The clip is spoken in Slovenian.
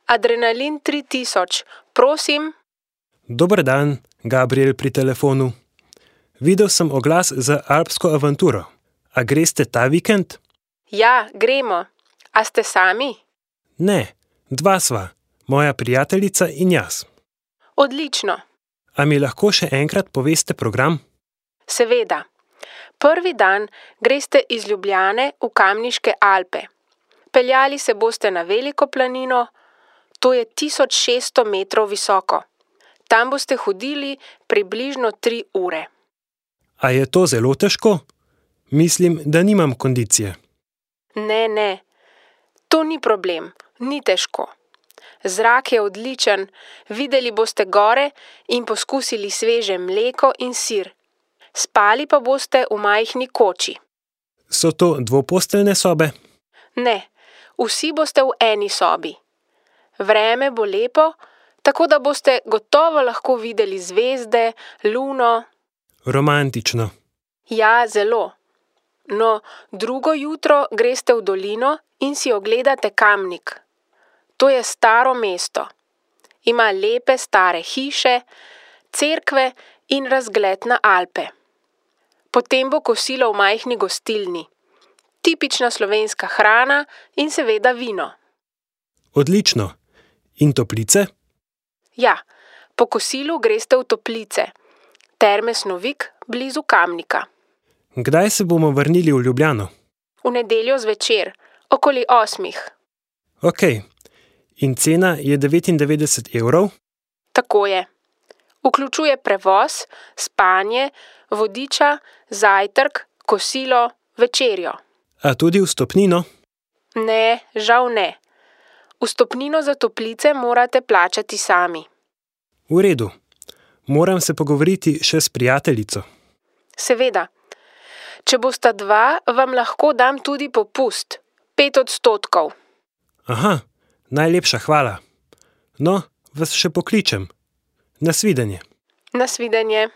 Adrenalin 3000, prosim. Dober dan, Gabriel pri telefonu. Videl sem oglas za alpsko avanturo. A greste ta vikend? Ja, gremo. A ste sami? Ne, dva sva, moja prijateljica in jaz. Odlično. A mi lahko še enkrat poveste program? Seveda. Prvi dan greste iz Ljubljane v Kamniške Alpe. Peljali se boste na Veliko planino, to je 1600 metrov visoko. Tam boste hodili približno 3 ure. A je to zelo težko? Mislim, da nimam kondicije. Ne, to ni problem, ni težko. Zrak je odličen, videli boste gore in poskusili sveže mleko in sir. Spali pa boste v majhni koči. So to dvoposteljne sobe? Ne, vsi boste v eni sobi. Vreme bo lepo, tako da boste gotovo lahko videli zvezde, luno. Romantično. Ja, zelo. No, drugo jutro greste v dolino in si ogledate Kamnik. To je staro mesto. Ima lepe stare hiše, cerkve in razgled na Alpe. Potem bo kosilo v majhni gostilni. Tipična slovenska hrana in seveda vino. Odlično. In toplice? Ja, po kosilu greste v toplice. Terme Snovik blizu Kamnika. Kdaj se bomo vrnili v Ljubljano? V nedeljo zvečer, okoli 8. Ok. In cena je 99 evrov? Tako je. Vključuje prevoz, spanje, vodiča, zajtrk, kosilo, večerjo. A tudi vstopnino? Ne, žal ne. Vstopnino za toplice morate plačati sami. V redu. Moram se pogovoriti še s prijateljico. Seveda. Če bosta dva, vam lahko dam tudi popust. 5%. Aha, najlepša hvala. No, vas še pokličem. Nasvidenje. Nasvidenje.